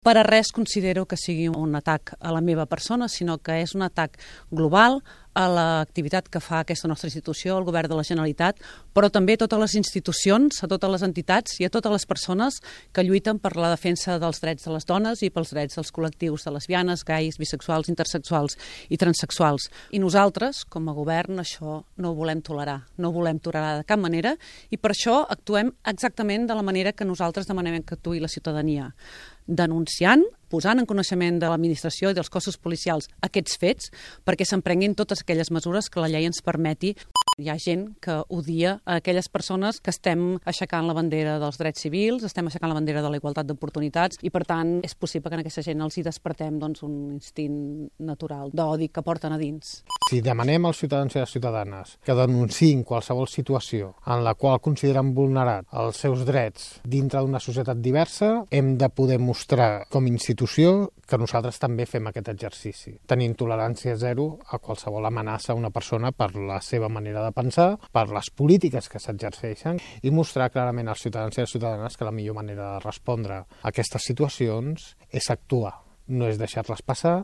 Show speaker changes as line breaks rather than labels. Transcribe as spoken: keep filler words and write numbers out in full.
per a res considero que sigui un atac a la meva persona, sinó que és un atac global a l'activitat que fa aquesta nostra institució, el Govern de la Generalitat, però també a totes les institucions, a totes les entitats i a totes les persones que lluiten per la defensa dels drets de les dones i pels drets dels col·lectius de lesbianes, gais, bisexuals, intersexuals i transsexuals. I nosaltres, com a govern, això no ho volem tolerar, no ho volem tolerar de cap manera, i per això actuem exactament de la manera que nosaltres demanem que actuï la ciutadania, denunciant, posant en coneixement de l'administració i dels cossos policials aquests fets perquè s'emprenguin totes aquelles mesures que la llei ens permeti. Hi ha gent que odia a aquelles persones que estem aixecant la bandera dels drets civils, estem aixecant la bandera de la igualtat d'oportunitats i, per tant, és possible que en aquesta gent els hi despertem doncs, un instint natural d'odi que porten a dins.
Si demanem als ciutadans i les ciutadanes que denunciïn qualsevol situació en la qual consideren vulnerat els seus drets dintre d'una societat diversa, hem de poder mostrar com a institució que nosaltres també fem aquest exercici, tenint tolerància zero a qualsevol amenaça a una persona per la seva manera de pensar, per les polítiques que s'exerceixen i mostrar clarament als ciutadans i a les ciutadanes que la millor manera de respondre a aquestes situacions és actuar, no és deixar-les passar